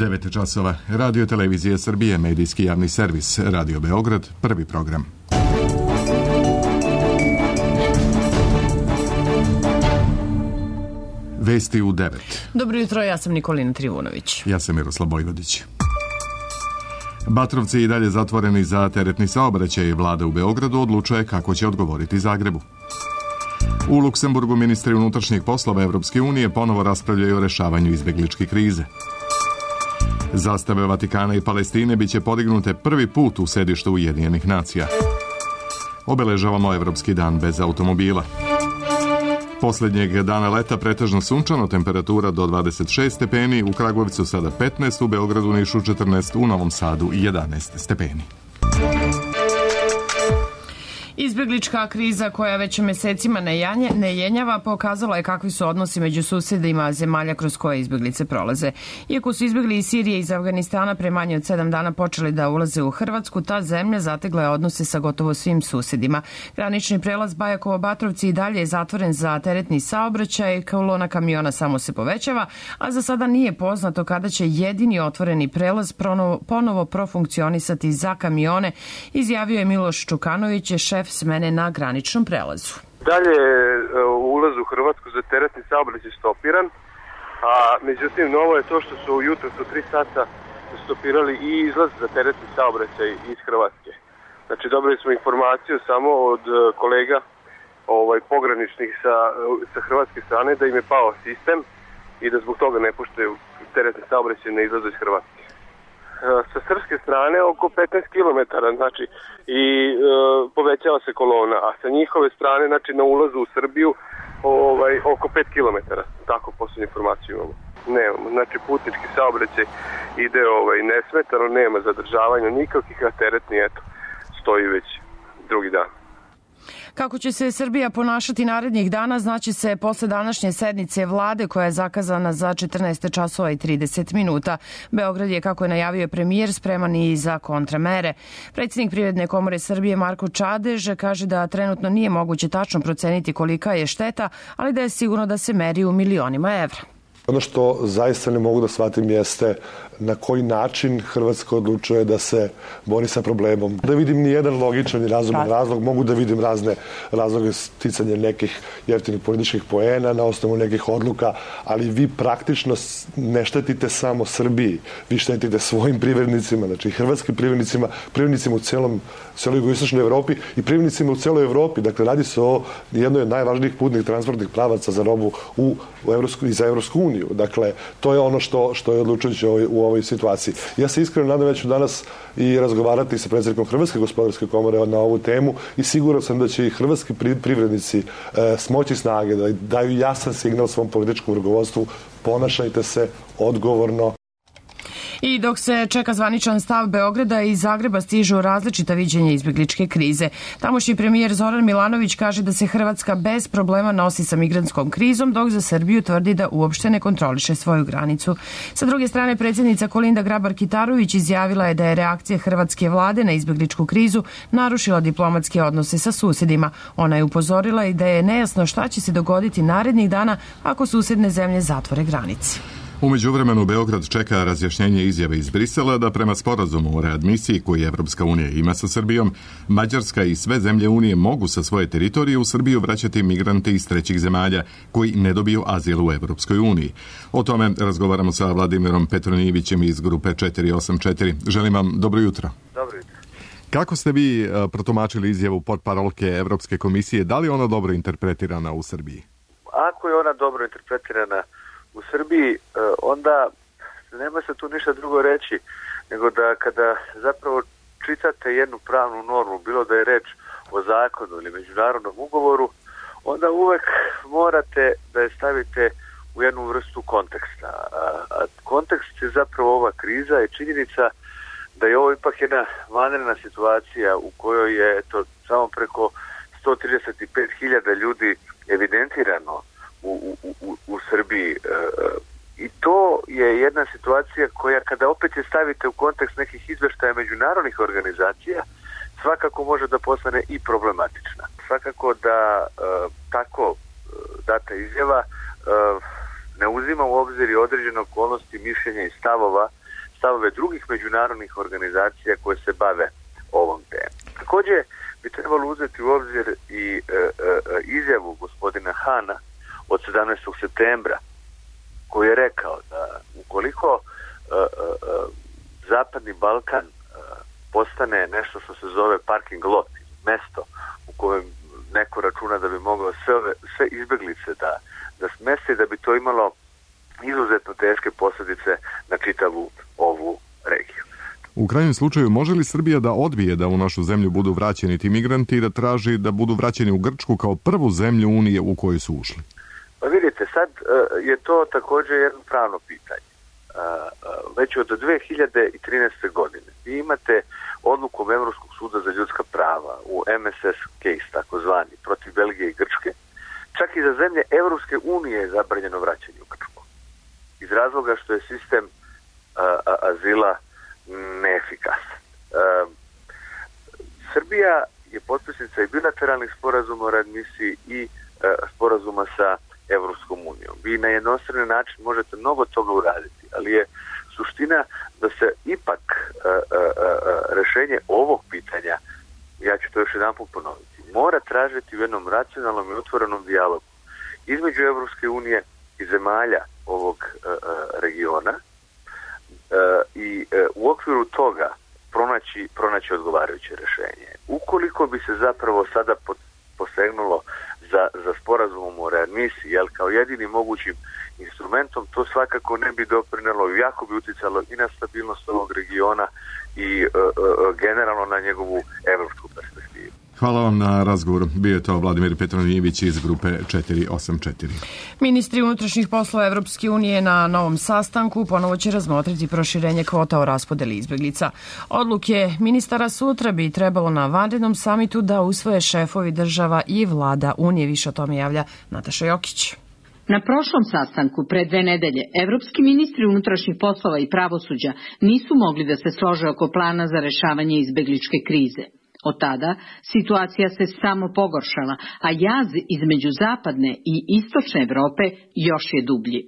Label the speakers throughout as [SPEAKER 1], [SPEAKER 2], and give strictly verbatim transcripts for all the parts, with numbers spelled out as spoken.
[SPEAKER 1] devet časova. Radio Televizije Srbije, medijski javni servis, Radio Beograd, prvi program. Vesti u devet.
[SPEAKER 2] Dobro jutro, ja sam Nikolina Trivunović.
[SPEAKER 1] Ja sam Miroslav Bojvodić. Batrovci i dalje zatvoreni za teretni saobraćaj i vlada u Beogradu odlučuje kako će odgovoriti Zagrebu. U Luksemburgu ministri unutrašnjih poslova Evropske unije ponovo raspravljaju o rešavanju izbegličke krize. Zastave Vatikana i Palestine biće podignute prvi put u sedištu Ujedinjenih nacija. Obeležavamo Evropski dan bez automobila. Posljednjeg dana leta pretežno sunčano, temperatura do dvadeset šest stepeni, u Kragujevcu sada petnaest, u Beogradu, Nišu četrnaest, u Novom Sadu jedanaest stepeni.
[SPEAKER 2] Izbeglička kriza koja već mesecima ne jenjava pokazala je kakvi su odnosi među susedima zemalja kroz koje izbeglice prolaze. Iako su izbegli iz Sirije i iz Afganistana pre manje od sedam dana počeli da ulaze u Hrvatsku, ta zemlja zategla je odnose sa gotovo svim susedima. Granični prelaz Bajakovo-Batrovci i dalje je zatvoren za teretni saobraćaj, kolona kamiona samo se povećava, a za sada nije poznato kada će jedini otvoreni prelaz ponovo profunkcionisati za kamione, izjavio je Miloš Čukanović, šef smene na graničnom prelazu.
[SPEAKER 3] Dalje ulaz u Hrvatsku za teretni saobraćaj stopiran, a međutim novo je to što su ujutro su tri sata stopirali i izlaz za teretni saobraćaj iz Hrvatske. Znači dobili smo informaciju samo od kolega ovaj, pograničnih sa, sa hrvatske strane da im je pao sistem i da zbog toga ne puštaju teretni saobraćaj na izlazu iz Hrvatske. Sa srpske strane oko petnaest kilometara, znači, i e, povećava se kolona, a sa njihove strane, znači, na ulazu u Srbiju, ovaj, oko pet kilometara. Tako posljednju informaciju imamo. Nemamo, znači, putnički saobraćaj ide ovaj, nesmetano, nema zadržavanja nikakvih, a teretni, eto, stoji već drugi dan.
[SPEAKER 2] Kako će se Srbija ponašati narednih dana znaće se posle današnje sednice vlade koja je zakazana za četrnaest časova i trideset minuta. Beograd je, kako je najavio premijer, spreman i za kontramere. Predsjednik Privredne komore Srbije Marko Čadež kaže da trenutno nije moguće tačno proceniti kolika je šteta, ali da je sigurno da se meri u milionima evra.
[SPEAKER 4] Ono što zaista ne mogu da shvatim jeste na koji način Hrvatska odlučuje da se bori sa problemom. Da vidim ni jedan logičan i razuman razlog, mogu da vidim razne razloge sticanja nekih jeftinih političkih poena na osnovu nekih odluka, ali vi praktično ne štetite samo Srbiji, vi štetite svojim privrednicima, znači hrvatskim privrednicima, privrednicima u celom, celoj jugoistočnoj Evropi i privrednicima u celoj Evropi. Dakle, radi se o jednoj od najvažnijih putnih transportnih pravaca za robu u, u Evropsku, i za Evropsku uniju. Dakle, to je ono što, što je odlučujuće u, u ovoj situaciji. Ja se iskreno nadam da ću danas i razgovarati sa predsjednikom Hrvatske gospodarske komore na ovu temu i siguran sam da će i hrvatski privrednici e, smoći snage da daju jasan signal svom političkom rukovodstvu: ponašajte se odgovorno.
[SPEAKER 2] I dok se čeka zvaničan stav Beograda, i Zagreba stižu različita viđenja izbegličke krize. Tamošnji premijer Zoran Milanović kaže da se Hrvatska bez problema nosi sa migrantskom krizom, dok za Srbiju tvrdi da uopšte ne kontroliše svoju granicu. Sa druge strane, predsjednica Kolinda Grabar-Kitarović izjavila je da je reakcija hrvatske vlade na izbegličku krizu narušila diplomatske odnose sa susedima. Ona je upozorila i da je nejasno šta će se dogoditi narednih dana ako susedne zemlje zatvore granice.
[SPEAKER 1] U međuvremenu Beograd čeka razjašnjenje izjave iz Brisela da prema sporazumu o readmisiji koji Evropska unija ima sa Srbijom, Mađarska i sve zemlje Unije mogu sa svoje teritorije u Srbiju vraćati migrante iz trećih zemalja koji ne dobiju azil u Evropskoj uniji. O tome razgovaramo sa Vladimirom Petronijevićem iz grupe četiri osam četiri. Želim vam dobro jutro.
[SPEAKER 3] Dobro jutro.
[SPEAKER 1] Kako ste vi protumačili izjavu portparolke Evropske komisije? Da li je ona dobro interpretirana u Srbiji?
[SPEAKER 3] Ako je ona dobro interpretirana u Srbiji, onda nema se tu ništa drugo reći nego da kada zapravo čitate jednu pravnu normu, bilo da je reč o zakonu ili međunarodnom ugovoru, onda uvek morate da je stavite u jednu vrstu konteksta. A kontekst je zapravo ova kriza i činjenica da je ovo ipak jedna vanredna situacija u kojoj je eto, samo preko sto trideset pet hiljada ljudi evidentirano U, u, u, u Srbiji. E, I to je jedna situacija koja kada opet je stavite u kontekst nekih izveštaja međunarodnih organizacija, svakako može da postane i problematična. Svakako da e, tako e, data izjava e, ne uzima uzima u obzir i određene okolnosti, mišljenja i stavova, stavove drugih međunarodnih organizacija koje se bave ovom temom. Također bi trebalo uzeti u obzir i e, e, izjavu gospodina Hana od sedamnaestog septembra, koji je rekao da ukoliko e, e, Zapadni Balkan e, postane nešto što se zove parking lot, mesto u kojem neko računa da bi mogao sve, ove, sve izbeglice da, da smesti, da bi to imalo izuzetno teške posljedice na čitavu ovu regiju.
[SPEAKER 1] U krajnjem slučaju, može li Srbija da odbije da u našu zemlju budu vraćeni ti migranti i da traži da budu vraćeni u Grčku kao prvu zemlju Unije u koju su ušli?
[SPEAKER 3] Pa vidite, sad uh, je to također jedno pravno pitanje. Uh, uh, već od dve hiljade trinaeste. godine vi imate odlukom Evropskog suda za ljudska prava u M S S case, takozvani, protiv Belgije i Grčke. Čak i za zemlje Evropske unije je zabranjeno vraćanje u Grčku. Iz razloga što je sistem uh, azila neefikasan. Uh, Srbija je potpisnica i bilateralnih sporazuma o readmisiji i uh, sporazuma sa Evropskom unijom. Vi na jednostrani način možete mnogo toga uraditi, ali je suština da se ipak uh, uh, rešenje ovog pitanja, ja ću to još jedan put ponoviti, mora tražiti u jednom racionalnom i otvorenom dijalogu između Evropske unije i zemalja ovog uh, regiona uh, i uh, u okviru toga pronaći, pronaći odgovarajuće rešenje. Ukoliko bi se zapravo sada posegnulo za, za sporazumom o readmisiji, jel, kao jedini mogućim instrumentom, to svakako ne bi doprinelo i jako bi uticalo i na stabilnost ovog regiona i uh, uh, generalno na njegovu evropsku perspektivu.
[SPEAKER 1] Hvala vam na razgovoru. Bio je to Vladimir Petronijević iz grupe četiri osam četiri.
[SPEAKER 2] Ministri unutrašnjih poslova Evropske unije na novom sastanku ponovo će razmotriti proširenje kvota o raspodeli izbeglica. Odluke ministara sutra bi trebalo na vanrednom samitu da usvoje šefovi država i vlada Unije. Više o tome javlja Nataša Jokić.
[SPEAKER 5] Na prošlom sastanku pre dve nedelje evropski ministri unutrašnjih poslova i pravosuđa nisu mogli da se slože oko plana za rešavanje izbegličke krize. Od tada situacija se samo pogoršala, a jaz između zapadne i istočne Evrope još je dublji.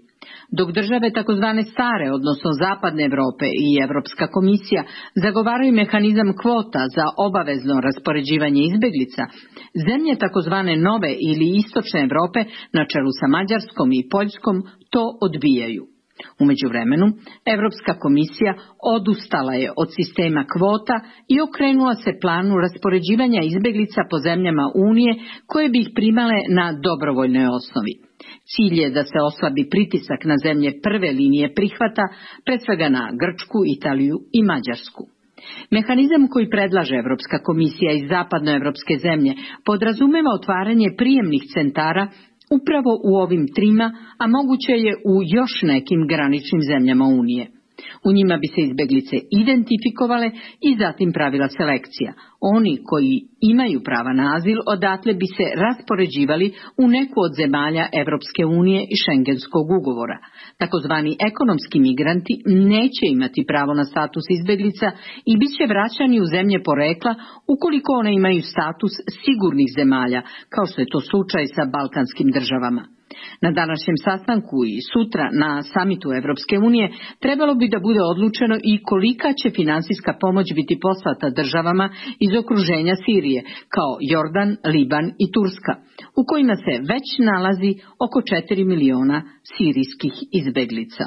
[SPEAKER 5] Dok države takozvane stare, odnosno zapadne Evrope i Evropska komisija zagovaraju mehanizam kvota za obavezno raspoređivanje izbeglica, zemlje takozvane nove ili istočne Evrope na čelu sa Mađarskom i Poljskom to odbijaju. U međuvremenu, Evropska komisija odustala je od sistema kvota i okrenula se planu raspoređivanja izbeglica po zemljama Unije koje bi ih primale na dobrovoljnoj osnovi. Cilj je da se oslabi pritisak na zemlje prve linije prihvata, pre svega na Grčku, Italiju i Mađarsku. Mehanizam koji predlaže Evropska komisija iz zapadnoevropske zemlje podrazumeva otvaranje prijemnih centara upravo u ovim trima, a moguće je u još nekim graničnim zemljama Unije. U njima bi se izbeglice identifikovale i zatim pravila selekcija. Oni koji imaju prava na azil odatle bi se raspoređivali u neku od zemalja Evropske unije i Šengenskog ugovora. Takozvani ekonomski migranti neće imati pravo na status izbeglica i bit će vraćani u zemlje porekla ukoliko one imaju status sigurnih zemalja, kao što je to slučaj sa balkanskim državama. Na današnjem sastanku i sutra na samitu Evropske unije trebalo bi da bude odlučeno i kolika će finansijska pomoć biti poslata državama iz okruženja Sirije, kao Jordan, Liban i Turska, u kojima se već nalazi oko četiri miliona sirijskih izbeglica.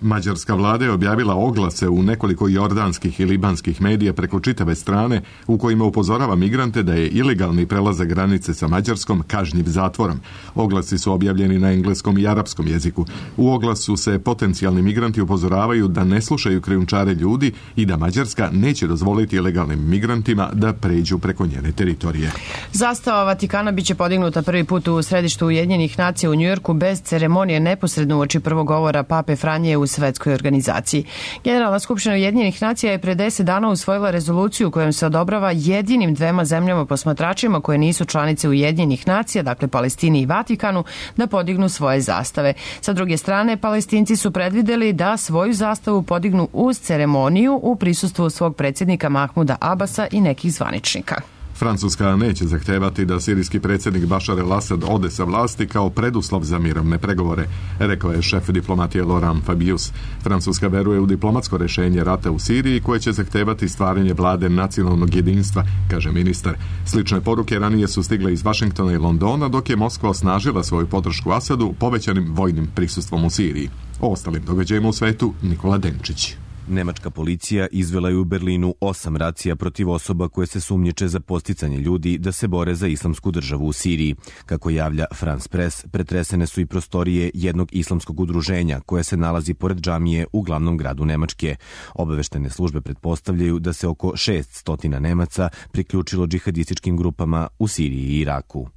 [SPEAKER 1] Mađarska vlada je objavila oglase u nekoliko jordanskih i libanskih medija preko čitave strane u kojima upozorava migrante da je ilegalni prelazak granice sa Mađarskom kažnjiv zatvorom. Oglasi su objavljeni na engleskom i arapskom jeziku. U oglasu se potencijalni migranti upozoravaju da ne slušaju krijumčare ljudi i da Mađarska neće dozvoliti ilegalnim migrantima da pređu preko njene teritorije.
[SPEAKER 2] Zastava Vatikana biće podignuta prvi put u središtu Ujedinjenih nacija u Njujorku bez ceremonije neposredno uoči prvog govora Pape Franje u svetskoj organizaciji. Generalna skupština Ujedinjenih nacija je pre deset dana usvojila rezoluciju kojom se odobrava jedinim dvema zemljama posmatračima koje nisu članice Ujedinjenih nacija, dakle Palestini i Vatikanu, da podignu svoje zastave. Sa druge strane, Palestinci su predvideli da svoju zastavu podignu uz ceremoniju u prisustvu svog predsjednika Mahmuda Abasa i nekih zvaničnika.
[SPEAKER 1] Francuska neće zahtevati da sirijski predsjednik Bašar el-Asad ode sa vlasti kao preduslov za mirovne pregovore, rekao je šef diplomatije Laurent Fabius. Francuska veruje u diplomatsko rješenje rata u Siriji koje će zahtevati stvaranje vlade nacionalnog jedinstva, kaže ministar. Slične poruke ranije su stigle iz Vašingtona i Londona, dok je Moskva osnažila svoju podršku Asadu povećanim vojnim prisustvom u Siriji. O ostalim događajima u svetu Nikola Denčić.
[SPEAKER 6] Nemačka policija izvela je u Berlinu osam racija protiv osoba koje se sumnjiče za podsticanje ljudi da se bore za islamsku državu u Siriji. Kako javlja France Press, pretresene su i prostorije jednog islamskog udruženja koje se nalazi pored džamije u glavnom gradu Nemačke. Obaveštene službe pretpostavljaju da se oko šesnaest Nemaca priključilo džihadističkim grupama u Siriji i Iraku.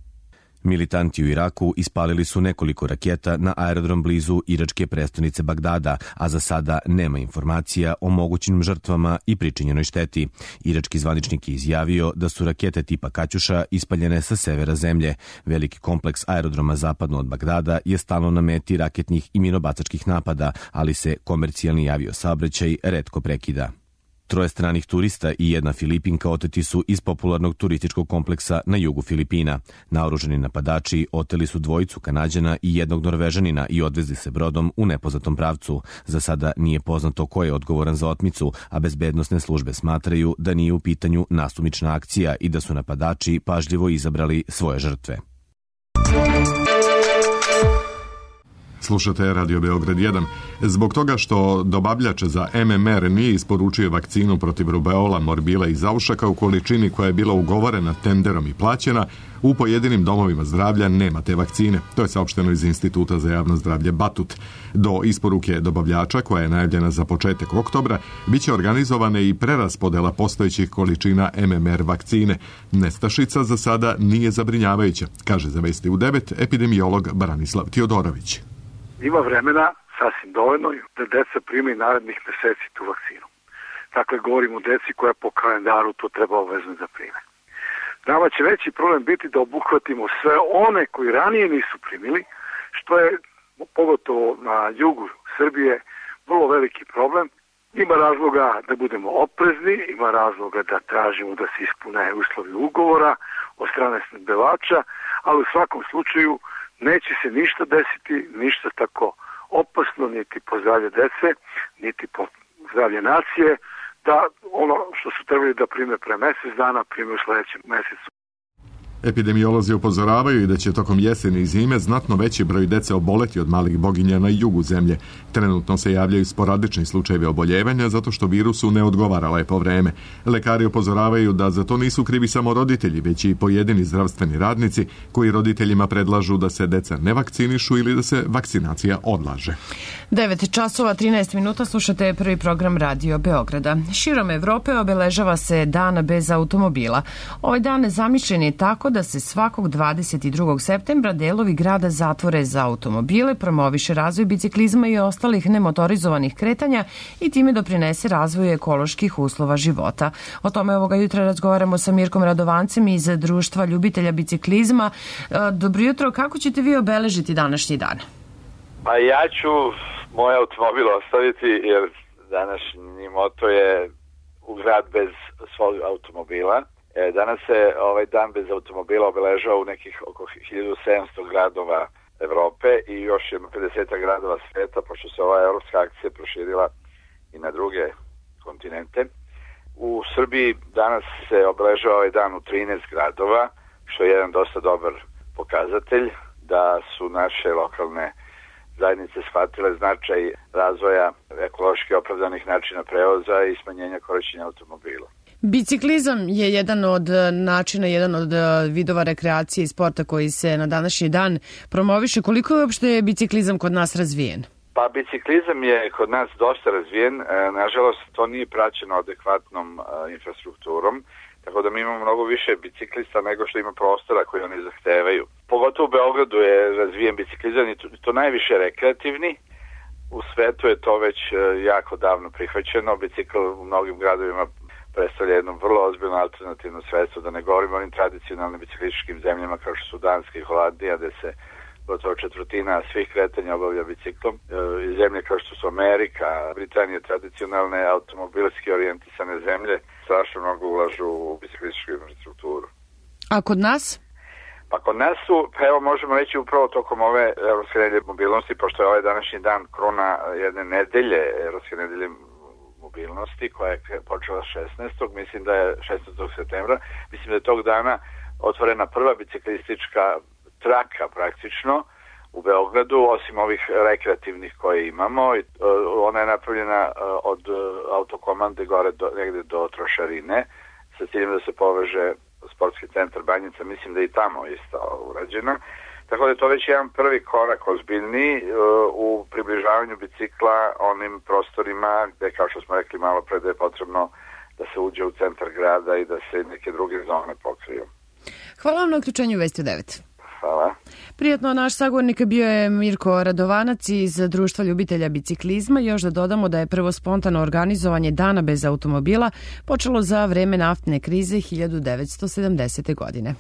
[SPEAKER 6] Militanti u Iraku ispalili su nekoliko raketa na aerodrom blizu iračke prestonice Bagdada, a za sada nema informacija o mogućim žrtvama i pričinjenoj šteti. Irački zvaničnik je izjavio da su rakete tipa Kaćuša ispaljene sa severa zemlje. Veliki kompleks aerodroma zapadno od Bagdada je stalno na meti raketnih i minobacačkih napada, ali se komercijalni aviosaobraćaj retko prekida. Troje stranih turista i jedna Filipinka oteti su iz popularnog turističkog kompleksa na jugu Filipina. Naoružani napadači oteli su dvojicu Kanađana i jednog Norvežanina i odvezli se brodom u nepoznatom pravcu. Za sada nije poznato ko je odgovoran za otmicu, a bezbednosne službe smatraju da nije u pitanju nasumična akcija i da su napadači pažljivo izabrali svoje žrtve.
[SPEAKER 1] Slušate Radio Beograd jedan. Zbog toga što dobavljač za M M R nije isporučio vakcinu protiv rubeola, morbila i zaušaka u količini koja je bila ugovorena tenderom i plaćena, u pojedinim domovima zdravlja nema te vakcine. To je saopšteno iz Instituta za javno zdravlje Batut. Do isporuke dobavljača, koja je najavljena za početak oktobra, bit će organizovane i preraspodela postojećih količina M M R vakcine. Nestašica za sada nije zabrinjavajuća, kaže za Vesti u devet epidemiolog Branislav Tiodorović.
[SPEAKER 7] Ima vremena sasvim dovoljno da deca prime i narednih meseci tu vakcinu. Dakle, govorimo o deci koja po kalendaru to treba obavezno da prime. Nama će veći problem biti da obuhvatimo sve one koji ranije nisu primili, što je pogotovo na jugu Srbije vrlo veliki problem. Ima razloga da budemo oprezni, ima razloga da tražimo da se ispune uslovi ugovora od strane snabdevača, ali u svakom slučaju neće se ništa desiti, ništa tako opasno, niti po zdravlje dece, niti po zdravlje nacije, da ono što su trebali da prime pre mesec dana, prime u sledećem mesecu.
[SPEAKER 1] Epidemiolozi upozoravaju i da će tokom jeseni i zime znatno veći broj dece oboleti od malih boginja na jugu zemlje. Trenutno se javljaju sporadični slučajevi oboljevanja zato što virusu ne odgovara lepo vreme. Lekari upozoravaju da za to nisu krivi samo roditelji, već i pojedini zdravstveni radnici koji roditeljima predlažu da se deca ne vakcinišu ili da se vakcinacija odlaže.
[SPEAKER 2] devet časova trinaest minuta, slušate prvi program Radio Beograda. Širom Evrope obeležava se dan bez automobila. Ovaj dan zamišljen je tako da se svakog dvadeset drugog septembra delovi grada zatvore za automobile, promoviše razvoj biciklizma i ostalih nemotorizovanih kretanja i time doprinese razvoju ekoloških uslova života. O tome ovoga jutra razgovaramo sa Mirkom Radovancem iz Društva ljubitelja biciklizma. Dobro jutro, kako ćete vi obeležiti današnji dan?
[SPEAKER 8] Pa ja ću moj automobil ostaviti jer današnji moto je u grad bez svog automobila. Danas se ovaj dan bez automobila obeležava u nekih oko hiljadu sedamsto gradova Evrope i još jedno pedeset gradova sveta, pošto se ova evropska akcija proširila i na druge kontinente. U Srbiji danas se obeležava ovaj dan u trinaest gradova, što je jedan dosta dobar pokazatelj da su naše lokalne zajednice shvatile značaj razvoja ekološki opravdanih načina prevoza i smanjenja korišćenja automobila.
[SPEAKER 2] Biciklizam je jedan od načina, jedan od vidova rekreacije i sporta koji se na današnji dan promoviše. Koliko je uopšte biciklizam kod nas razvijen?
[SPEAKER 8] Pa biciklizam je kod nas dosta razvijen. Nažalost, to nije praćeno adekvatnom infrastrukturom, tako da mi imamo mnogo više biciklista nego što ima prostora koji oni zahtevaju. Pogotovo u Beogradu je razvijen biciklizam i to najviše rekreativni. U svetu je to već jako davno prihvaćeno. Bicikl u mnogim gradovima predstavlja jedno vrlo ozbiljno alternativno sredstvo, da ne govorimo o onim tradicionalnim biciklističkim zemljama kao što su Danska i Holandija, gde se gotovo četvrtina svih kretanja obavlja biciklom. I zemlje kao što su Amerika, Britanija, tradicionalne automobilski orijentisane zemlje strašno mnogo ulažu u biciklističku infrastrukturu.
[SPEAKER 2] A kod nas?
[SPEAKER 8] Pa kod nas su, pa evo možemo reći upravo tokom ove Evropske nedelje mobilnosti, pošto je ovaj današnji dan kruna jedne nedelje, Evropske nedelje mobilnosti, koja je počela šesnaestog mislim da je šesnaestog septembra, mislim da je tog dana otvorena prva biciklistička traka praktično u Beogradu, osim ovih rekreativnih koje imamo. Ona je napravljena od autokomande gore do, negde do Trošarine, sa ciljem da se poveže sportski centar Banjica, mislim da i tamo je isto urađeno. Tako da je to već jedan prvi korak ozbiljni u približavanju bicikla onim prostorima gde, kao što smo rekli malo pre, da je potrebno da se uđe u centar grada i da se neke druge zone pokriju.
[SPEAKER 2] Hvala vam na uključenju Vesti u devet.
[SPEAKER 8] Hvala.
[SPEAKER 2] Prijatno, naš sagovornik bio je Mirko Radovanac iz Društva ljubitelja biciklizma. Još da dodamo da je prvo spontano organizovanje Dana bez automobila počelo za vreme naftne krize hiljadu devetsto sedamdesete. godine.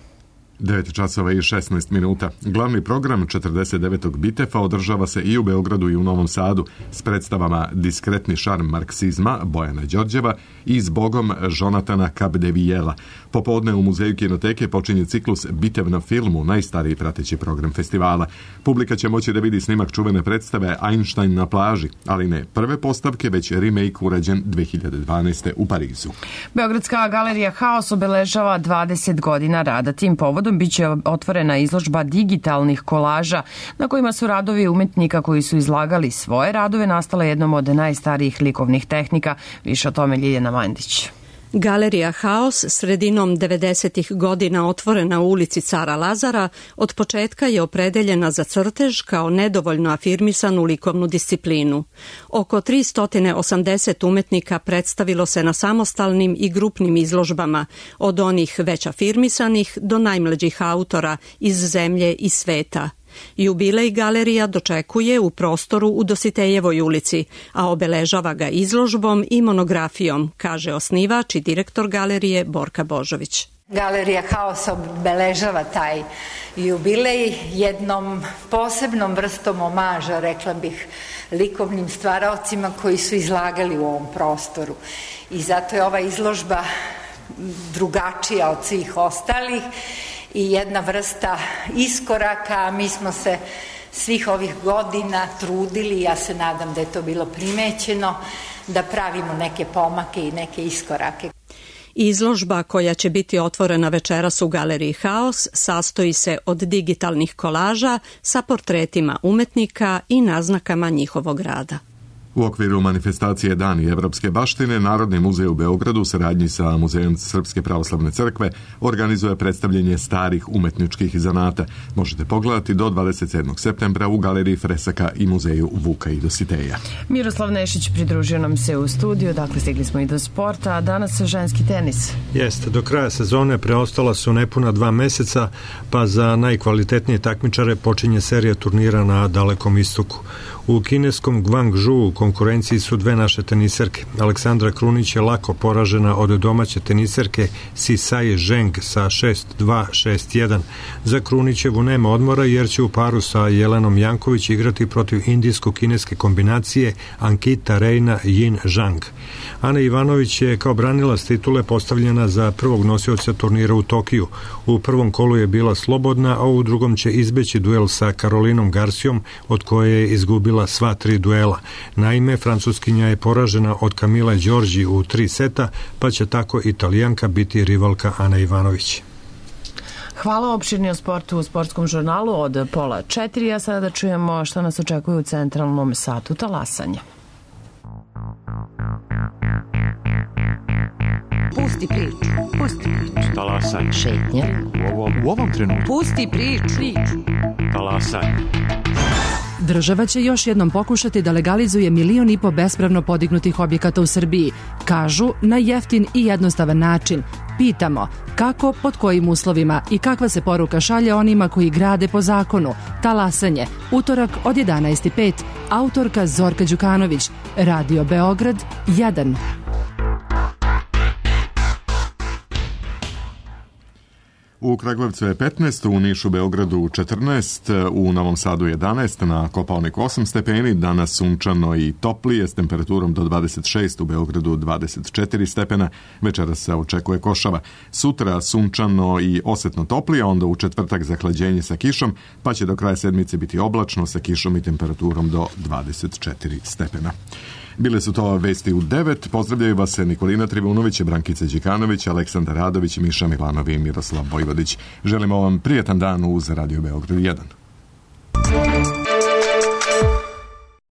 [SPEAKER 1] devet časova i šesnaest minuta. Glavni program četrdeset devetog Bitefa održava se i u Beogradu i u Novom Sadu s predstavama Diskretni šarm marksizma Bojana Đorđeva i Zbogom Jonatana Kabdevijela. Popodne u Muzeju kinoteke počinje ciklus Bitev na filmu, najstariji prateći program festivala. Publika će moći da vidi snimak čuvene predstave Einstein na plaži, ali ne prve postavke, već remake urađen dve hiljade dvanaeste. u Parizu.
[SPEAKER 2] Beogradska galerija Haos obeležava dvadeset godina rada. Tim povodom biće otvorena izložba digitalnih kolaža na kojima su radovi umetnika koji su izlagali svoje radove nastale jednom od najstarijih likovnih tehnika. Više o tome Ljiljana Mandić.
[SPEAKER 9] Galerija Haos, sredinom devedesetih godina otvorena u ulici Cara Lazara, od početka je opredeljena za crtež kao nedovoljno afirmisanu likovnu disciplinu. Oko tristo osamdeset umetnika predstavilo se na samostalnim i grupnim izložbama, od onih već afirmisanih do najmlađih autora iz zemlje i sveta. Jubilej galerija dočekuje u prostoru u Dositejevoj ulici, a obeležava ga izložbom i monografijom, kaže osnivač i direktor galerije Borka Božović.
[SPEAKER 10] Galerija Haos obeležava taj jubilej jednom posebnom vrstom omaža, rekla bih, likovnim stvaraocima koji su izlagali u ovom prostoru. I zato je ova izložba drugačija od svih ostalih i jedna vrsta iskoraka. Mi smo se svih ovih godina trudili, ja se nadam da je to bilo primećeno, da pravimo neke pomake i neke iskorake.
[SPEAKER 9] Izložba koja će biti otvorena večeras u galeriji Haos sastoji se od digitalnih kolaža sa portretima umetnika i naznakama njihovog rada.
[SPEAKER 1] U okviru manifestacije Dani evropske baštine, Narodni muzej u Beogradu u saradnji sa Muzejom Srpske pravoslavne crkve organizuje predstavljanje starih umetničkih zanata. Možete pogledati do dvadeset sedmog septembra u galeriji Fresaka i Muzeju Vuka i Dositeja.
[SPEAKER 2] Miroslav Nešić pridružio nam se u studiju, dakle stigli smo i do sporta, a danas ženski tenis.
[SPEAKER 11] Jeste, do kraja sezone preostala su nepuna dva meseca, pa za najkvalitetnije takmičare počinje serija turnira na Dalekom istoku. U kineskom Guangzhou u konkurenciji su dve naše teniserke. Aleksandra Krunić je lako poražena od domaće teniserke Sisai Zheng sa šest dva šest jedan. Za Krunićevu nema odmora jer će u paru sa Jelenom Janković igrati protiv indijsko-kineske kombinacije Ankita Reina Yin Zhang. Ana Ivanović je kao branilac titule postavljena za prvog nosioca turnira u Tokiju. U prvom kolu je bila slobodna, a u drugom će izbeći duel sa Karolinom Garcijom, od koje je izgubila sva tri duela. Naime, francuskinja je poražena od Kamile Đorđi u tri seta, pa će tako Italijanka biti rivalka Ana Ivanović.
[SPEAKER 2] Hvala, opširni o sportu u sportskom žurnalu od pola četiri, a sada da čujemo što nas očekuje u centralnom satu talasanja.
[SPEAKER 12] Pusti priču, pusti priču.
[SPEAKER 13] Talasanje.
[SPEAKER 12] Šetnja.
[SPEAKER 13] U ovom, u ovom trenutku.
[SPEAKER 12] Pusti priču. priču.
[SPEAKER 13] Talasanje.
[SPEAKER 14] Država će još jednom pokušati da legalizuje milion i po bespravno podignutih objekata u Srbiji. Kažu na jeftin i jednostavan način. Pitamo kako, pod kojim uslovima i kakva se poruka šalje onima koji grade po zakonu. Talasanje, utorak od jedanaest i pet. Autorka Zorka Đukanović. Radio Beograd jedan.
[SPEAKER 1] U Kragujevcu je petnaest, u Nišu, Beogradu četrnaest, u Novom Sadu jedanaest, na Kopaoniku osam stepeni, danas sunčano i toplije s temperaturom do dvadeset šest, u Beogradu dvadeset četiri stepena, večeras se očekuje košava. Sutra sunčano i osetno toplije, onda u četvrtak zahlađenje sa kišom, pa će do kraja sedmice biti oblačno sa kišom i temperaturom do dvadeset četiri stepena. Bile su to vesti u devet. Pozdravljaju vas Nikolina Trivunović, Brankica Đikanović, Aleksandar Radović, Miša Milanovi i Miroslav Vojvodić. Želimo vam prijetan dan uz Radio Beograd jedan.